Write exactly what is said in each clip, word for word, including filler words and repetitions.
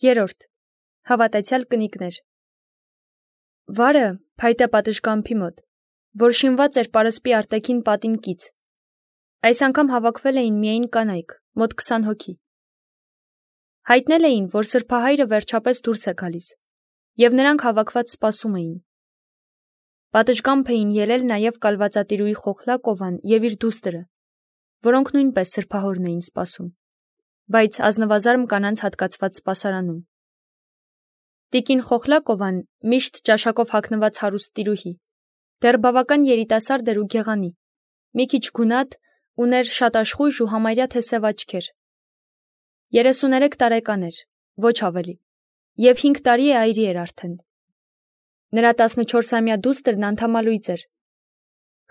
Երորդ. Հավատացյալ կնիկներ։ Վարը փայտե պատշգամբի մոտ, որ շինված էր պարսպի արտաքին պատին կից։ Այս անգամ հավաքվել էին միայն կանայք, մոտ քսան հոգի։ Հայտնել էին, որ սրբահայրը վերջապես դուրս է գալիս, և նրանք հավաքված սպասում էին։ Պատշգամբ էին ելել նաև կալվածատիրուհի Խոխլակովան և իր դուստրը, որոնք նույնպես սրբահորն էին սպասում, բայց ազնվազարմ կանանց հատկացված սպասարանում։ Տիկին Խոխլակովան միշտ ճաշակով հագնված հարուստ տիրուհի, դեռ բավական երիտասարդ էր ու գեղանի, մի քիչ գունատ, ուներ շատ աշխույժ ու համարյա թե սև աչքեր։ երեսուներեք տարեկան էր, ոչ ավելի, և հինգ տարի է այրի էր արդեն։ Նրա տասնչորսամյա դուստրն անդամալույծ էր։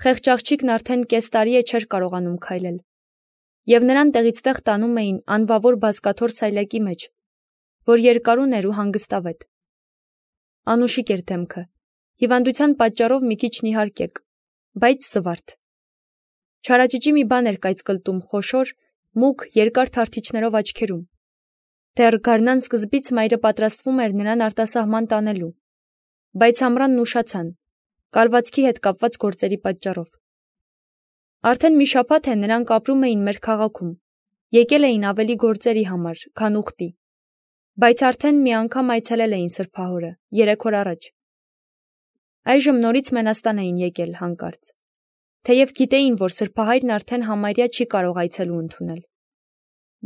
Խեղճ աղջիկն արդեն կես տարի է չէր կարողանում քայլել, և նրան տեղից տեղ տանում էին անվավոր բազկաթոռ սայլակի մեջ, որ երկարուն էր ու հանգստավետ։ Անուշիկ էր դեմքը, հիվանդության պատճառով մի քիչ նիհարկեկ, բայց զվարթ։ Չարաճճի մի բան էր կայծկլտում խոշոր, մուգ, երկար թարթիչներով աչքերում։ Դեռ գարնան սկզբից մայրը պատրաստվում էր նրան արտասահման տանելու, բայց ամռանն ուշացան, կալվածքի հետ կապված գործերի պատճառով։ Արդեն մի շաբաթ է նրանք ապրում էին մեր քաղաքում, եկել էին ավելի գործերի համար, քան ուխտի, բայց արդեն մի անգամ այցելել էին սրբահորը, երեք օր առաջ։ Այժմ նորից Մենաստան էին եկել հանկարծ, թեև գիտեին, որ սրբահայրն արդեն համարյա չի կարող այցելու ընդունել,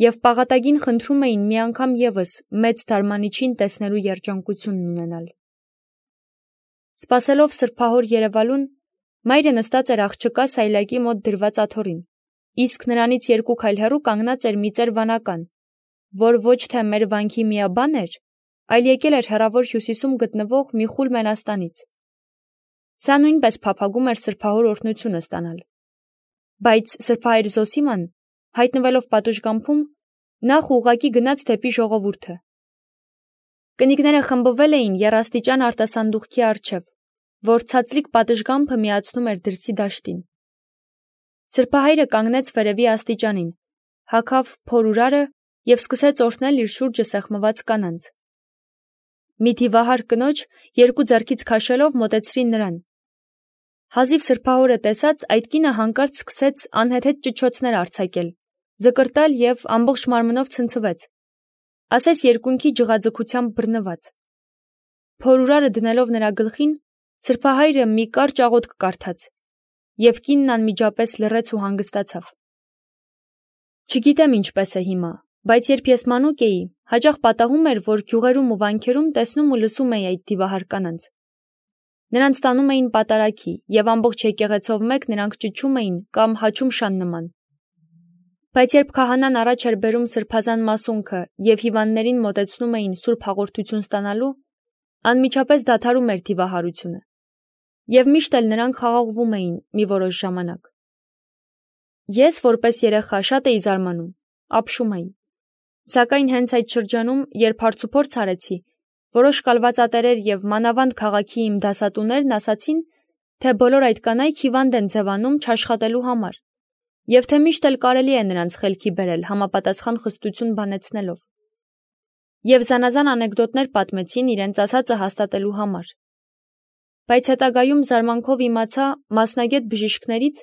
և պաղատագին խնդրում էին մի անգամ ևս մեծ դարմանիչին տեսնելու երջանկությունն ունենալ։ Սպասելով սրբահոր երևալուն, մայրը նստած էր աղջկա սայլակի մոտ դրված աթոռին, իսկ նրանից երկու քայլ հեռու կանգնած էր մի ծեր վանական, որ ոչ թե մեր վանքի միաբան էր, այլ եկել էր հեռավոր հյուսիսում գտնվող մի խուլ Մենաստանից։ Սա նույնպես փափագում էր սրբահոր օրհնությունը ստանալ։ Բայց սրբահայր Զոսիման, հայտնվելով պատշգամբում, նախ ուղղակի գնաց դեպի ժողովուրդը։ Կնիկները խմբվել էին եռաստիճան արտասանդուղքի առջև, որ ցածլիկ պատշգամբը միացնում էր դրսի դաշտին։ Սրբահայրը կանգնեց վերևի աստիճանին, հագավ փորուրարը և սկսեց օրհնել իր շուրջը սեղմված կանանց։ Մի դիվահար կնոջ երկու ձեռքից քաշելով մոտեցրին նրան։ Հազիվ սրբահորը տեսած, այդ կինը հանկարծ սկսեց անհեթեթ ճչոցներ արձակել, ձկրտալ և ամբողջ մարմնով ցնցվեց, ասես երկունքի ջղաձգությամբ բռնված։ Փորուրարը դնելով նրա գլխին, սրբահայրը մի կարճ աղոթք կարդաց, և կինն անմիջապես լռեց ու հանգստացավ։ Չգիտեմ ինչպես է հիմա, բայց երբ ես մանուկ էի, հաճախ պատահում էր, որ գյուղերում ու վանքերում տեսնում ու լսում էի այդ դիվահար կանանց։ Նրանց տանում էին պատարագի, և ամբողջ եկեղեցով մեկ նրանք ճչում էին կամ հաչում շան նման։ Բայց երբ քահանան առաջ էր բերում սրբազան մասունքը և հիվանդներին մոտեցնում էին սուրբ հաղորդություն ստանալու, անմիջապես դադարում էր դիվահարությունը, և միշտ էլ նրանք խաղաղվում էին մի որոշ ժամանակ։ Ես, որպես երեխա, շատ էի զարմանում, ապշում էի։ Սակայն հենց այդ շրջանում, երբ հարցուփորձ արեցի, որոշ կալվածատերեր և մանավանդ քաղաքի իմ դասատուներն ասացին, թե բոլոր այդ կանայք հիվանդ են ձևանում չաշխատելու համար, և թե միշտ էլ կարելի է նրանց խելքի բերել համապատասխան խստություն բանեցնելով։ Եվ զանազան անեկդոտներ պատմեցին իրենց ասածը հաստատելու համար։ Բայց հետագայում զարմանքով իմացա մասնագետ բժիշկներից,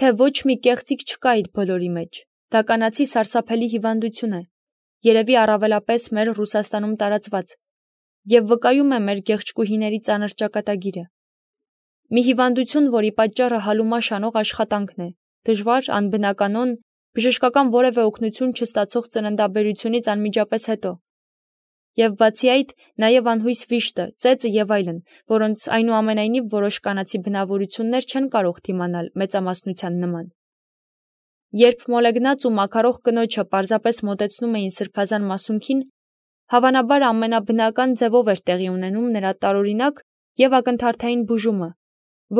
թե ոչ մի կեղծիք չկա այդ բոլորի մեջ, դա կանացի սարսափելի հիվանդություն է, երևի առավելապես մեր Ռուսաստանում տարածված, և վկայում է մեր գեղեցկուհիների ծանր ճակատագիրը։ Մի հիվանդություն, որի պատճառը հալումա շանող աշխատանքն է, դժվար, անբնականon, բժշկական որևէ օգնություն չստացող ծննդաբերությունից անմիջապես հետո, և բացի այդ, նաև անհույս վիշտը, ծեծը և այլն, որոնց այնուամենայնիվ որոշ կանացի բնավորություններ չեն կարող դիմանալ մեծամասնության նման։ Երբ մոլեգնած ու մաքարող կնոջը պարզապես մոտեցնում էին սրբազան մասունքին, հավանաբար ամենաբնական ձևով էր տեղի ունենում նրա տարօրինակ և ակնթարթային բուժումը,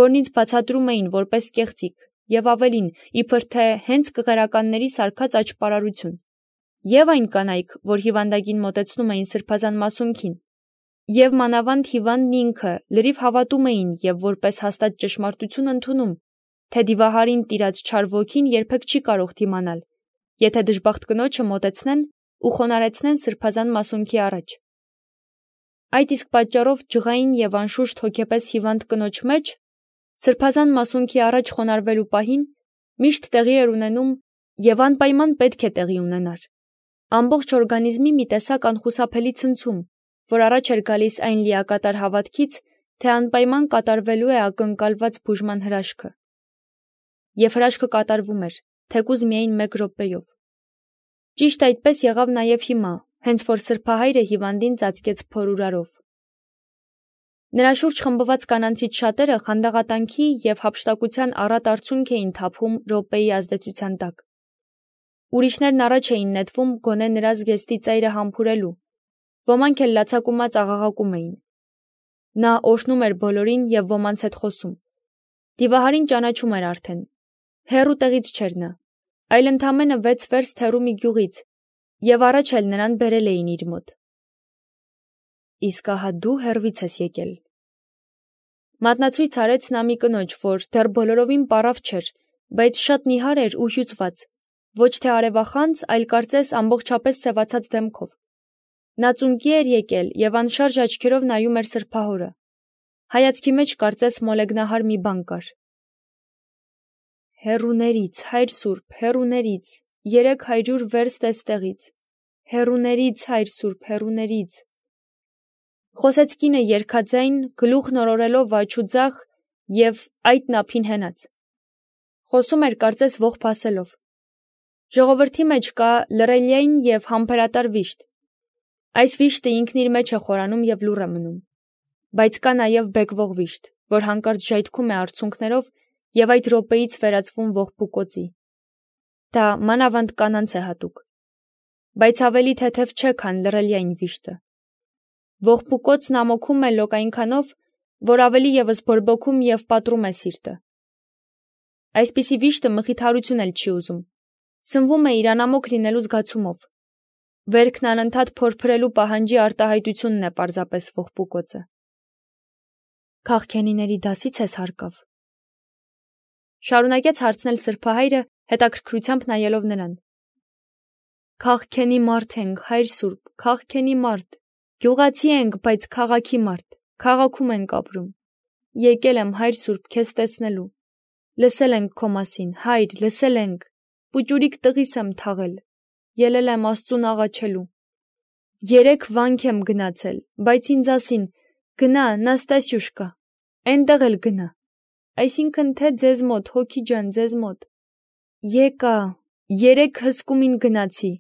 որն ինձ բացատրում էին որպես կեղծիք, և ավելին, իբր թե հենց կղերականների սարքած աճպարարություն, և այն կանայք, որ հիվանդագին մոտեցնում էին սրբազան մասունքին, և մանավանդ հիվանդն ինքը լրիվ հավատում էին և որպես հաստատ ճշմարտություն ընդունում, թե դիվահարին տիրած չար ոգին երբեք չի կարող դիմանալ, եթե դժբախտ կնոջը մոտեցնեն ու խոնարեցնեն սրբազան մասունքի առաջ։ Այդ իսկ պատճառով ջղային եւ անշուշտ հոգեպես հիվանդ կնոջ մեջ սրբազան մասունքի առաջ խոնարհվելու պահին միշտ տեղի էր ունենում եւ անպայման պետք է տեղի ունենար ամբողջ օրգանիզմի մի տեսակ անխուսափելի ցնցում, որ առաջ էր գալիս այն լիակատար հավատքից, թե անպայման կատարվելու է ակնկալված բուժման հրաշքը։ Եվ հրաշքը կատարվում էր, թեկուզ միայն մեկ րոպեով։ Ճիշտ այդպես եղավ նաև հիմա, հենց որ սրբահայրը հիվանդին ծածկեց փորուրարով։ Նրա շուրջ խմբված կանանցից շատերը խանդաղատանքի եւ հափշտակության առատ արցունք էին թափում րոպեի ազդեցության տակ։ Ուրիշներն առաջ էին նետվում գոնե նրա զգեստի ծայրը համբուրելու, ոմանք էլ լացակումած աղաղակում էին։ Նա օրհնում էր բոլորին եւ ոմանց հետ խոսում։ Դիվահարին ճանաչում էր արդեն։ Հեռու տեղից չէր նա, այլ ընդամենը վեց վերստ հեռու մի գյուղից, եւ առաջ էլ նրան բերել էին իր մոտ։ Իսկ ահա դու հեռվից ես եկել։ Մատնացույց արեց նա մի կնոջ, որ դեռ բոլորովին պարավ չէր, բայց շատ նիհար էր ու հյուծված, ոչ թե արևախանձ, այլ կարծես ամբողջապես սևացած դեմքով։ Նա ծունկի էր եկել եւ անշարժ աչքերով նայում էր սրբահորը։ Հայացքի մեջ կարծես մոլեգնահար մի բան կար։ Հեռուներից, հայր սուրբ, հեռուներից, երեք հարյուր վերստ էստեղից, հեռուներից, հայր սուրբ, հեռուներից։ Խոսեց կինը երգաձայն, գլուխն օրորելով աչուձախ եւ այդ նափին հենած։ Խոսում էր կարծես ողբ ասելով։ Ժողովրդի մեջ կա լռելիային եւ համբերատար վիշտ։ Այս վիշտը ինքն իր մեջ է խորանում եւ լուռ է մնում։ Բայց կա նաեւ բեկվող վիշտ, որ հանկարծ ժայթքում է արցունքներով եւ այդ րոպեից վերածվում ողբուկոցի։ Դա մանավանդ կանանց է հատուկ։ Բայց ավելի թեթև չէ, քան լռելիային վիշտը։ Ողբուկոցն ամոքում է լոկ այնքանով, որ ավելի եւս բորբոքում եւ պատռում է սիրտը։ Այսպիսի վիշտը մխիթարություն էլ չի ուզում։ Սնվում է իր անամոք լինելու զգացումով։ Վերքն անընդհատ փորփրելու պահանջի արտահայտությունն է պարզապես ողբուկոցը։ Քաղքենիների դասից ես հարկավ։ Շարունակեց հարցնել սրբահայրը, հետաքրքրությամբ նայելով նրան։ Քաղքենի մարդ ենք, հայր սուրբ, քաղքենի մարդ։ Գյուղացի ենք, բայց քաղաքի մարդ, քաղաքում ենք ապրում։ Եկել եմ, հայր սուրբ, քեզ տեսնելու։ Լսել ենք քո մասին, հայր, լսել ենք։ Պուճուրիկ տղիս եմ թաղել։ Ելել եմ Աստծուն աղաչելու։ Երեք վանք եմ գնացել, բայց ինձ ասին, գնա, Նաստասյուշկա, այնտեղ էլ գնա։ Այսինքն թե ձեզ մոտ, հոգի ջան, ձեզ մոտ։ Եկա, երեք հսկումին գնացի։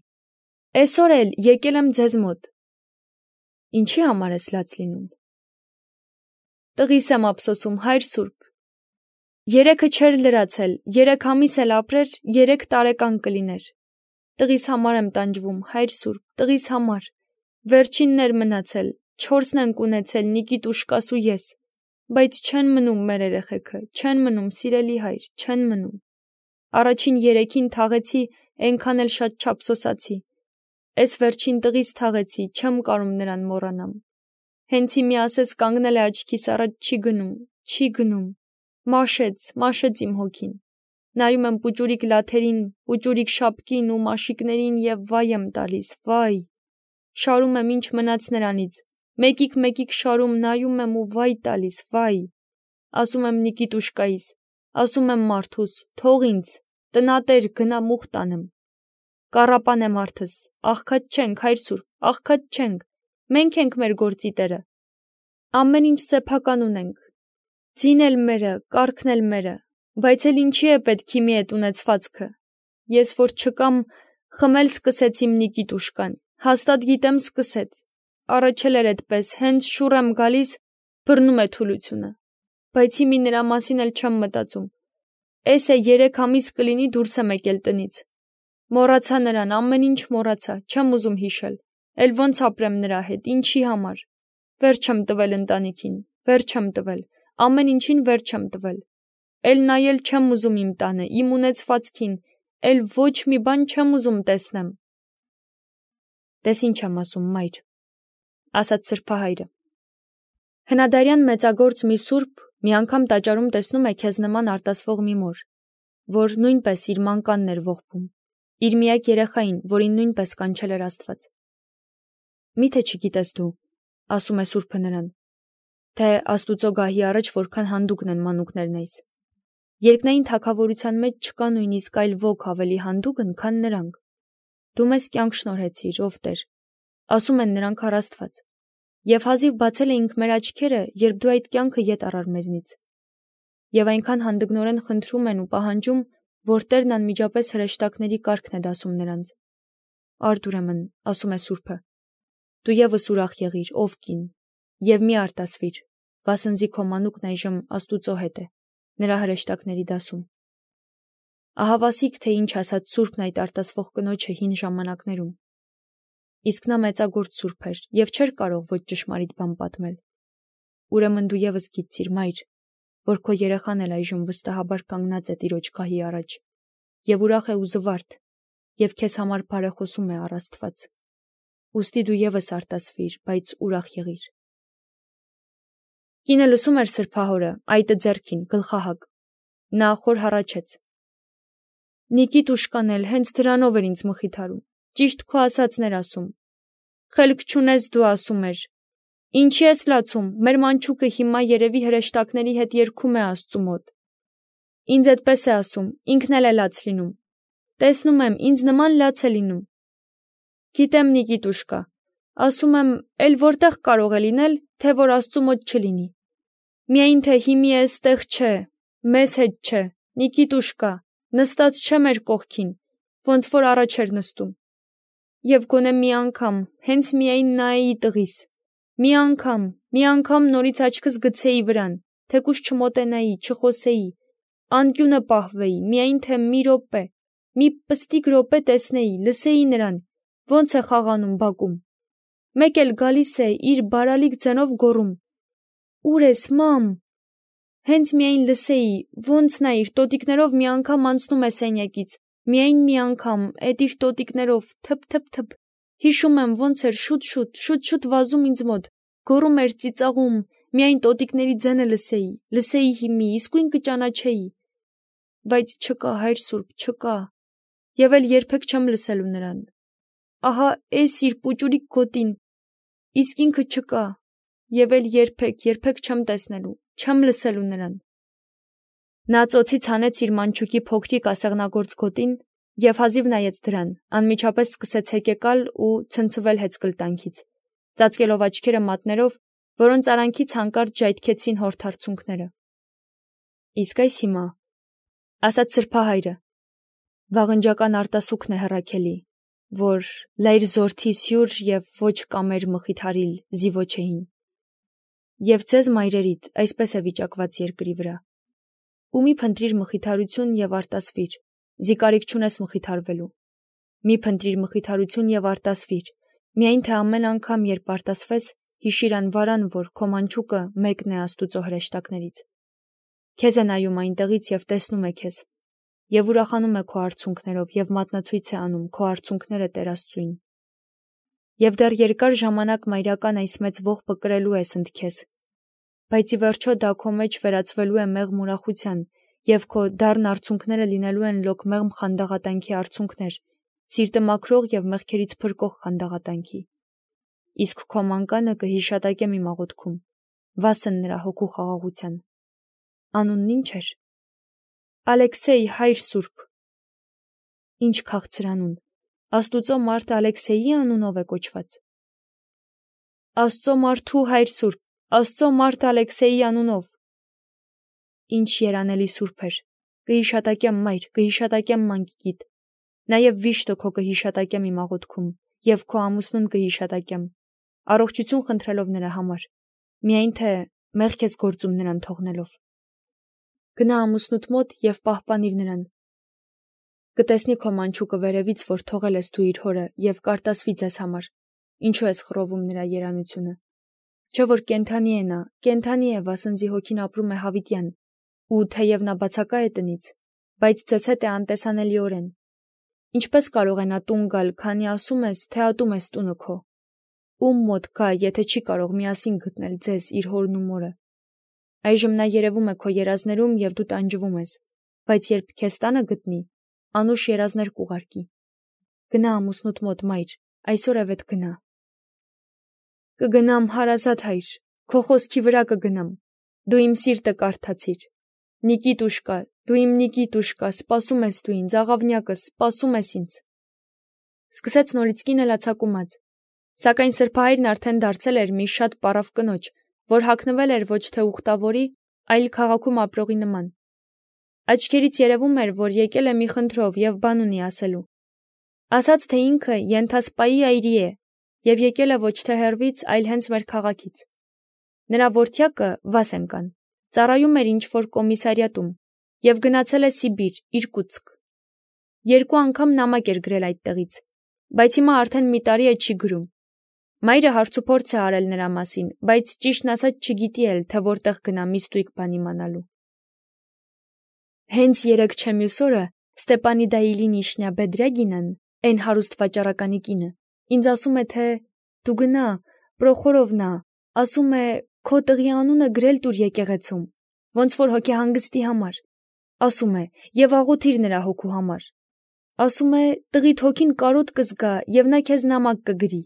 Այսօր էլ եկել եմ ձեզ մոտ։ Ինչի համար ես լաց լինում։ Տղիս եմ ափսոսում, հայր սուրբ։ Երեքը չէր լրացել, երեք ամիս էլ ապրեր, երեք տարեկան կլիներ։ Տղիս համար եմ տանջվում, հայր սուրբ, տղիս համար։ Վերջինն էր մնացել, չորսն ենք ունեցել, Նիկիտուշ կասու ես։ Բայց չեն մնում մեր երեխեքը, չեն մնում, սիրելի հայր, չեն մնում։ Առաջին երեքին թաղեցի, այնքան էլ շատ չափսոսացի։ Էս վերջին տղիս թաղեցի, չեմ կարում նրան մոռանամ։ Հենց իմի ասես կանգնել է աչքիս առաջ, չի գնում, չի գնում։ Մաշեց, մաշեց իմ հոգին։ Նայում եմ պուճուրիկ լաթերին, պուճուրիկ շապկին ու մաշիկներին եւ վայ եմ տալիս, վայ։ Շարում եմ ինչ մնաց նրանից։ Մեկիկ-մեկիկ շարում նայում եմ ու վայ տալիս, վայ։ Ասում եմ Նիկիտուշկայիս, ասում եմ մարդուս, թող ինձ, տնատեր գնա մուխ տանեմ։ Կառապան է մարդս, աղքատ չենք, հայր սուրբ, աղքատ չենք, մենք ենք մեր գործի տերը։ Ամեն ինչ սեփական ունենք։ Ձին էլ մերը, կառքն էլ մերը, բայց էլ ինչի է պետք իմի այդ ունեցվածքը։ Ես որ չկամ, խմել սկսեց իմ Նիկիտուշկան, հաստատ գիտեմ սկսեց։ Առաջել էր այդպես, հենց շուռ եմ գալիս, բռնում է թուլությունը։ Բայց իմի նրա մասին էլ չեմ մտածում։ Էս է երեք ամիս կլինի դուրս եմ եկել տնից։ Մոռացա նրան, ամեն ինչ մոռացա, չեմ ուզում հիշել։ Էլ ոնց ապրեմ նրա հետ, ինչի համար։ Վերջ եմ տվել ընտանիքին, վերջ եմ տվել, ամեն ինչին վերջ եմ տվել։ Էլ նայել չեմ ուզում իմ տանը, իմ ունեցվածքին, էլ ոչ մի բան չեմ ուզում տեսնեմ։ Տես ինչ եմ ասում, մայր, ասաց սրբահայրը։ Հնադարյան մեծագործ մի սուրբ մի անգամ տաճարում տեսնում է քեզ նման արտասվող մի մոր, որ նույնպես իր մանկանն էր ողբում։ իր միակ երեխային, որին նույնպես կանչել էր Աստված։ Միթե չգիտես դու, ասում է Սուրբը նրան, թե Աստուծո գահի առաջ որքան հանդուգն են մանուկներն էս։ Երկնային թագավորության մեջ չկա նույնիսկ այլ ոք ավելի հանդուգն, քան նրանք։ Դու մեզ կյանք շնորհեցիր, ով Տեր, ասում են նրանք առ Աստված, եւ հազիվ բացել էինք մեր աչքերը, երբ դու այդ կյանքը ետ առար մեզնից։ Եվ այնքան հանդգնորեն խնդրում են ու պահանջում, որ Տերն անմիջապես հրեշտակների կարգն է դասում նրանց։ Արդ ուրեմն, ասում է Սուրբը, դու ևս ուրախ եղիր, ով կին, եւ մի արտասվիր, վասնզի քո մանուկն այժմ Աստուծո հետ է, նրա հրեշտակների դասում։ Ահավասիկ, թե ինչ ասաց Սուրբն այդ արտասվող կնոջը հին ժամանակներում։ Իսկ նա մեծագործ Սուրբ էր եւ չէր կարող ոչ ճշմարիտ բան պատմել։ Ուրեմն դու ևս գիտցիր, մայր, որ քո երեխան էլ այժմ վստահաբար կանգնած է Տիրոջ գահի առաջ, եւ ուրախ է ու զվարթ, եւ քեզ համար բարեխոսում է առ Աստված։ Ուստի դու ևս արտասվիր, բայց ուրախ եղիր։ Կինը լսում էր սրբահորը, այտը ձեռքին, գլխահակ։ Նա խոր հառաչեց. Նիկիտ ուշկան էլ հենց դրանով էր ինձ մխիթարում, ճիշտ քո ասածներ ասում։ Խելք չունես դու, ասում էր։ Ինչի ես լացում, մեր մանչուկը հիմա երևի հրեշտակների հետ երգում է Աստծու մոտ։ Ինձ այդպես է ասում, ինքն էլ է լաց լինում։ Տեսնում եմ, ինձ նման լաց է լինում։ Գիտեմ, Նիկիտ ուշկա, ասում եմ, էլ որտեղ կարող է լինել, թե որ Աստծու մոտ չլինի։ Միայն թե հիմի էստեղ չէ, մեզ հետ չէ, Նիկիտ ուշկա, նստած չէ մեր կողքին, ոնց որ առաջ էր նստում։ Եվ գոնե մի անգամ, հենց միայն նայեի տղիս, մի անգամ, մի անգամ նորից աչքս գցեի վրան, թեկուզ չմոտենայի, չխոսեի, անկյունը պահվեի, միայն թե մի րոպե, մի պստիկ րոպե տեսնեի, լսեի նրան, ոնց է խաղանում բակում։ Մեկ էլ գալիս է իր բարալիկ ձենով գոռում. Ուր ես, մամ։ Հենց միայն լսեի, ոնց նա իր տոտիկներով մի անգամ անցնում է սենյակից, միայն մի անգամ, էդ իր տոտիկներով, թփ-թփ-թփ, հիշում եմ, ոնց էր շուտ-շուտ, շուտ-շուտ վազում ինձ մոտ, գոռում էր, ծիծաղում, միայն տոտիկների ձենը լսեի, լսեի հիմի, իսկույն կճանաչեի։ Բայց չկա, Հայր Սուրբ, չկա, եւ էլ երբեք չեմ լսելու նրան։ Ահա էս իր պուճուրիկ գոտին, իսկ ինքը չկա, եւ էլ երբեք, երբեք չեմ տեսնելու, չեմ լսելու նրան։ Նա ծոցից հանեց իր մանչուկի փոքրիկ ասեղնագործ գոտին եւ հազիվ նայեց դրան, անմիջապես սկսեց հեկեկալ ու ցնցվել հեծկլտանքից, ծածկելով աչքերը մատներով, որոնց արանքից հանկարծ ժայթքեցին հորթարցունքները։ Իսկ այս հիմա, ասաց սրբահայրը, վաղնջական արտասուքն է հռաքելի, որ լայր զորթիս հյուր եւ ոչ կամեր մխիթարիլ զիվոչեին։ Եվ ձեզ մայրերիդ այսպես է վիճակված երկրի վրա։ Ու մի փնտրիր մխիթարություն եւ արտասվիր, զիկարիք չունես մխիթարվելու։ Մի փնտրիր մխիթարություն եւ արտասվիր, միայն թե ամեն անգամ, երբ արտասվես, հիշիր անվարան, որ քո մանչուկը մեկն է Աստուծո հրեշտակներից։ Քեզ է նայում այնտեղից եւ տեսնում է քեզ, եւ ուրախանում է քո արցունքներով եւ մատնացույց է անում քո արցունքները Տեր Աստծուին։ Եվ դեռ երկար ժամանակ մայրական այս մեծ ողբը կրելու ես ընդ քեզ, բայց ի վերջո դա քո մեջ վերածվելու է մեղմ ուրախության, եւ քո դառն արցունքները լինելու են լոկ մեղմ խանդաղատանքի արցունքներ, սիրտը մաքրող եւ մեղքերից փրկող խանդաղատանքի։ Իսկ քո մանկանը կհիշատակեմ իմ աղոթքում, վասն նրա հոգու խաղաղության։ Անունն ի՞նչ էր։ Ալեքսեյ, Հայր Սուրբ։ Ինչ քաղցր անուն։ Աստուծո մարդ Ալեքսեյի անունով է կոչված։ Աստծո մարդու Հայր Սուրբ, Աստծո մարդ Ալեքսեյի անունով։ Ինչ երանելի Սուրբ էր։ Կհիշատակեմ, մայր, կհիշատակեմ մանկիկիդ։ Նաև վիշտը քո կհիշատակեմ իմ աղոթքում, եւ քո ամուսնուն կհիշատակեմ, առողջություն խնդրելով նրա համար, միայն թե մեղք ես գործում նրան թողնելով։ Գնա ամուսնուդ մոտ եւ պահպանիր նրան։ Կտեսնի քո մանչուկը վերևից, որ թողել ես դու իր հորը, եւ կարտասվի ձեզ համար։ Ինչու ես խռովում նրա երանությունը։ Չէ որ կենթանի է նա, կենթանի է, վասնզի հոգին ապրում է հավիտյան, ու թեև նա բացակա է տնից, բայց ձեզ հետ է անտեսանելիորեն։ Ինչպես կարող է նա տուն գալ, քանի ասում ես, թե ատում ես տունը քո։ Ում մոտ գա, եթե չի կարող միասին գտնել ձեզ իր հորն ու մորը։ Այժմ նա երևում է քո երազներում եւ դու տանջվում ես, բայց երբ քեզ տանը գտնի, անուշ երազներ կուղարկի։ Գնա ամուսնուդ մոտ, մայր, այսօր է վետ գնա։ Կգնամ, հարազատ հայր, քո խոսքի վրա կգնամ, դու իմ սիրտը կարդացիր։ Նիկիտուշկա, դու իմ Նիկիտուշկա, սպասում ես դու ինձ, աղավնյակս, սպասում ես ինձ։ Սկսեց նորից կինը լացակումած, սակայն սրբահայրն արդեն դարձել էր մի շատ պարավ կնոջ, որ հագնվել էր ոչ թե ուխտավորի, այլ քաղաքում ապրողի նման։ Աչքերից երևում էր, որ եկել է մի խնդրով և բան ունի ասելու։ Ասաց, թե ինքը Ենթասպայի այրի է և եկել է ոչ թե հեռվից, այլ հենց մեր քաղաքից։ Նրա որդյակը Վասենկան ծառայում էր ինչ-որ կոմիսարիատում և գնացել է Սիբիր, Իրկուտսկ։ Երկու անգամ նամակ էր գրել այդտեղից, բայց հիմա արդեն մի տարի է չի գրում։ Մայրը հարցուփորձ է արել նրա մասին, բայց ճիշտն ասած չգիտի էլ, թե որտեղ գնա մի ստույգ բան իմանալու։ Հենց երեկ չէ մյուս օրը Ստեպանիդա Իլինիշնա Բեդրյագինան, այն հարուստ վաճառականի կինը, ինձ ասում է, թե դու գնա, Պրոխորովնա, ասում է, քո տղի անունը գրել տուր եկեղեցում, ոնց որ հոգեհանգստի համար, ասում է, և աղոթիր նրա հոգու համար, ասում է, տղիդ հոգին կարոտ կզգա և նա քեզ նամակ կգրի,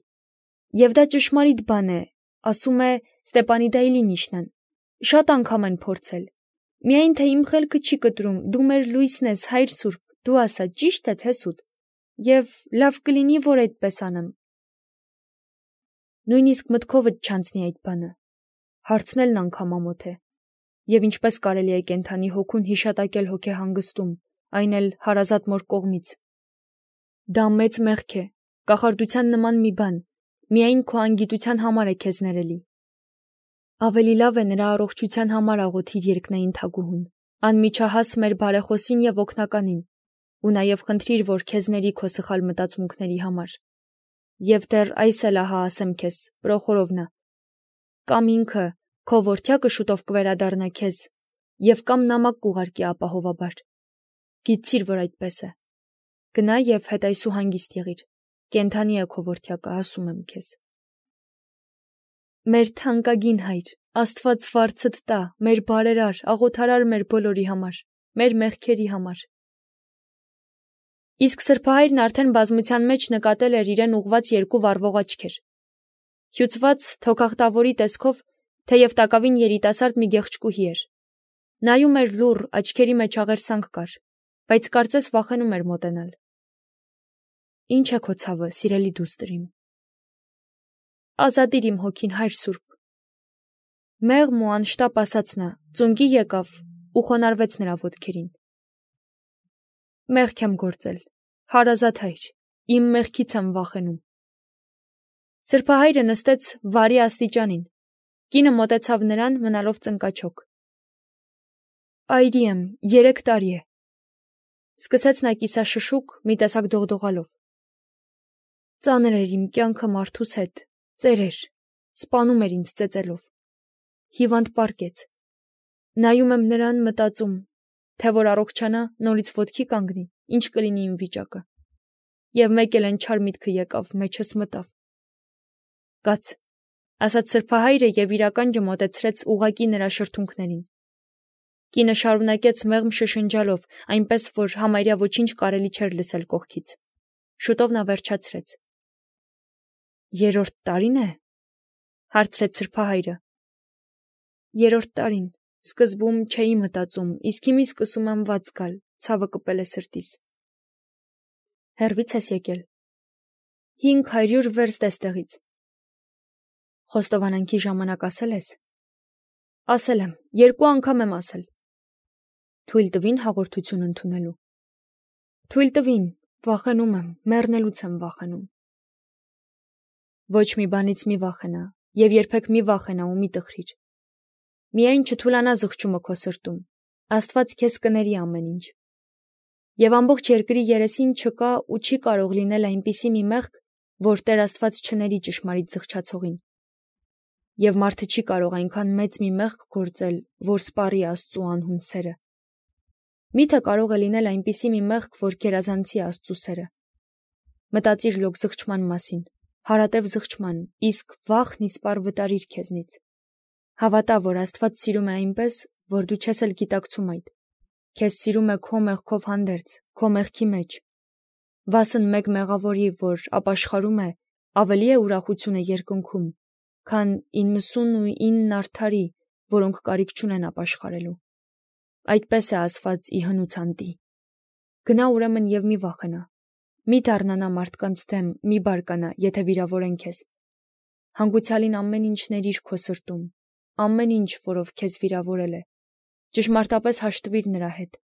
և դա ճշմարիտ բան է, ասում է Ստեպանիդա Իլինիշնան, շատ անգամ են փորձել, միայն թե իմ խելքը չի կտրում, դու մեր լույսն ես, հայր սուրբ, դու ասա, ճիշտ է թե սուտ, և լավ կլինի, որ այդպես անեմ։ Նույնիսկ մտքովդ չանցնի այդ բանը, հարցնելն անգամ ամոթ է, և ինչպես կարելի է կենդանի հոգուն հիշատակել հոգեհանգստում, այն էլ հարազատ մոր կողմից։ Դա մեծ մեղք է, կախարդության նման մի բան, միայն քո անգիտության համար է քեզ ներելի։ Ավելի լավ է նրա առողջության համար աղոթիր երկնային թագուհուն, անմիջահաս մեր բարեխոսին և օգնականին, ու նաև խնդրիր, որ քեզ ների քո սխալ մտածմունքների համար։ Եվ դեռ այս էլ ահա ասեմ քեզ, Պրոխորովնա, կամ ինքը, քո որդյակը շուտով կվերադառնա քեզ, և կամ նամակ կուղարկի ապահովաբար։ Գիտցիր, որ այդպես է։ Գնա և հետայսու հանգիստ եղիր, կենդանի է քո որդյակը, ասում եմ քեզ։ Մեր թանկագին հայր, Աստված վարձդ տա, մեր բարերար, աղոթարար մեր բոլորի համար, մեր մեղքերի համար։ Իսկ սրբահայրն արդեն բազմության մեջ նկատել էր իրեն ուղված երկու վառվող աչքեր։ Հյուծված թոքախտավորի տեսքով, թեև տակավին երիտասարդ մի գեղեցկուհի էր։ Նայում էր լուռ, աչքերի մեջ աղերսանք կար, բայց կարծես վախենում էր մոտենալ։ Ինչ է քո ցավը, սիրելի դուստր իմ։ Ազատիր իմ հոգին, հայր սուրբ։ Մեղմ ու անշտապ ասաց նա, ծունկի եկավ ու խոնարհվեց նրա ոտքերին։ Մեղք եմ գործել, հարազատ հայր, իմ մեղքից եմ վախենում։ Սրբահայրը նստեց վարի աստիճանին, կինը մոտեցավ նրան, մնալով ծնկաչոք։ Այրի եմ, երեք տարի է, սկսեց նա կիսաշշուկ, մի տեսակ դողդողալով։ Ծանր էր իմ կյանքը մարդուս հետ, ծեր էր, սպանում էր ինձ ծեծելով։ Հիվանդ պառկեց։ Նայում եմ նրան, մտածում, թե որ առողջանա, նորից ոտքի կանգնի, ինչ կլինի իմ վիճակը։ Եվ մեկ էլ այն չար միտքը եկավ, մեջս մտավ։ Կաց, ասաց սրբահայրը և իրական ջմոտեցրեց ուղղակի նրա շրթունքներին։ Կինը շարունակեց մեղմ շշնջալով, այնպես որ համարյա ոչինչ կարելի չէր լսել կողքից։ Շուտով նա վերջացրեց։ Երրորդ տարին է, հարցրեց սրբահայրը։ Երրորդ տարին, սկզբում չէի մտածում, իսկ հիմի սկսում եմ վատ զգալ, ցավը կպել է սրտիս։ Հեռվից ես եկել։ Հինգ հարյուր վերստ էստեղից։ Խոստովանանքի ժամանակ ասել ես։ Ասել եմ, երկու անգամ եմ ասել։ Թույլ տվին հաղորդություն ընդունելու։ Թույլ տվին, վախենում եմ, մեռնելուց եմ վախենում։ Ոչ մի բանից մի վախենա, և երբեք մի վախենա ու մի տխրիր։ Միայն չթուլանա զղջումը քո սրտում, Աստված քեզ կների ամեն ինչ։ Եվ ամբողջ երկրի երեսին չկա ու չի կարող լինել այնպիսի մի մեղք, որ Տեր Աստված չների ճշմարիտ զղջացողին։ Եվ մարդը չի կարող այնքան մեծ մի մեղք գործել, որ սպառի Աստծու անհուն սերը։ Միթե կարող է լինել այնպիսի մի մեղք, որ գերազանցի Աստծու սերը։ Մտածիր լոկ զղջման մասին, հարատև զղջման, իսկ վախն իսպառ վտարիր քեզնից։ Հավատա, որ Աստված սիրում է այնպես, որ դու չես էլ գիտակցում այդ։ Քեզ սիրում է քո մեղքով հանդերձ, քո մեղքի մեջ։ Վասն մեկ մեղավորի, որ ապաշխարում է, ավելի է ուրախությունը երկնքում, քան իննսունուինն արդարի, որոնք կարիք չունեն ապաշխարելու։ Այդպես է ասված ի հնուցանտի։ Գնա ուրեմն և մի վախենա, մի դառնանա մարդկանց դեմ, մի բարկանա, եթե վիրավորեն քեզ։ Հանգուցյալին ամեն ինչ ներիր քո սրտում, ամեն ինչ, որով քեզ վիրավորել է, ճշմարտապես հաշտվիր նրա հետ։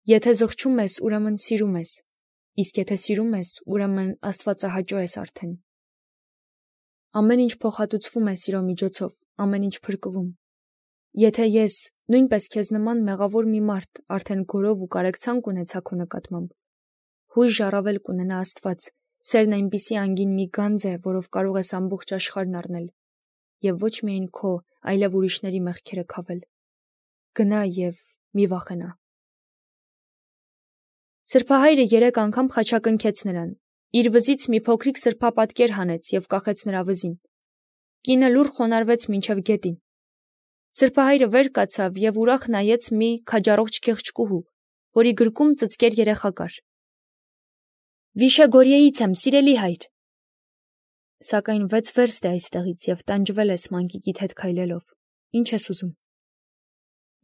Եթե զղջում ես, ուրեմն սիրում ես, իսկ եթե սիրում ես, ուրեմն աստվածահաճո ես արդեն։ Ամեն ինչ փոխհատուցվում է սիրո միջոցով, ամեն ինչ փրկվում։ Եթե ես, նույնպես քեզ նման մեղավոր մի մարդ, արդեն գորով ու կարեկցանք ունեցա քո նկատմամբ, հույժ առավել կունենա Աստված, սերն այնպիսի անգին մի գանձ է, որով կարող ես ամբողջ աշխարհն առնել, եւ ոչ միայն քո, այլև ուրիշների մեղքերը քավել։ Գնա եւ մի վախենա։ Սրբահայրը երեք անգամ խաչակնքեց նրան, իր վզից մի փոքրիկ սրբապատկեր հանեց եւ կախեց նրա վզին։ Կինը լուռ խոնարհվեց մինչև գետին։ Սրբահայրը վեր կացավ եւ ուրախ նայեց մի քաջառողջ քեղճկուհու, որի գրկում ծծկեր երեխա կար։ Վիշեգորիեից եմ, սիրելի հայր։ Սակայն վեց վերստ է այստեղից եւ տանջվել ես մանկիկիդ հետ քայլելով։ Ինչ ես ուզում։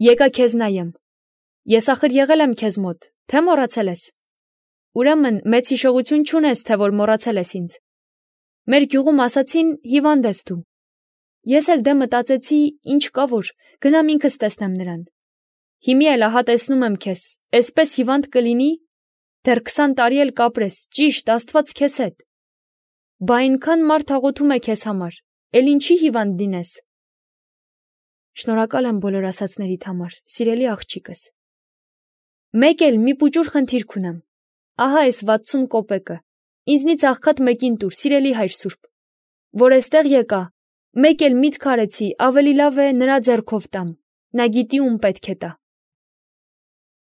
Եկա քեզ նայեմ։ Ես ախր եղել եմ քեզ մոտ, թե մոռացել ես։ Ուրեմն մեծ հիշողություն չունես, թե որ մոռացել ես ինձ։ Մեր գյուղում ասացին հիվանդ ես դու։ Ես էլ դե մտածեցի, ինչ կա որ, գնամ ինքս տեսնեմ նրան։ Հիմի էլ ահա տեսնում եմ քեզ, էսպես հիվանդ կլինի, դեռ քսան տարի էլ կապրես, ճիշտ, Աստված քեզ հետ։ Բա այնքան մարդ աղոթում է քեզ համար, էլ ինչի հիվանդ լինես։ Շնորհակալ եմ բոլոր ասացներիդ համար, սիրելի աղջիկս։ Մեկ էլ մի պուճուր խնդիր կունեմ։ Ահա այս վաթսուն կոպեկը, ինձնից աղքատ մեկին տուր, սիրելի հայր սուրբ, որ էստեղ եկա, մեկ էլ միտք արեցի, ավելի լավ է նրա ձեռքով տամ, նա գիտի ում պետք է տա։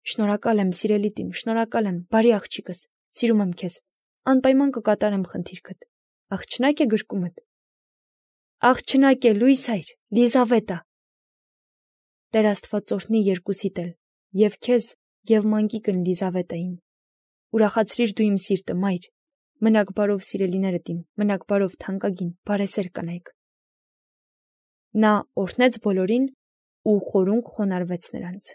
Շնորհակալ եմ, սիրելի տիմ, շնորհակալ եմ, բարի աղջիկս, սիրում եմ քեզ, անպայման կկատարեմ խնդիրքդ, աղջնակ է գրկումդ։ Աղջնակ է, լույս հայր, Լիզավետա։ Տեր Աստված օրհնի երկուսիդ էլ, եւ քեզ, եւ մանկիկն Լիզավետային։ Ուրախացրիր դու իմ սիրտը, մայր, մնաք բարով սիրելիներդ իմ, մնաք բարով թանկագին, բարեսեր կանայք։ Նա օրհնեց բոլորին ու խորունկ խոնարհվեց նրանց։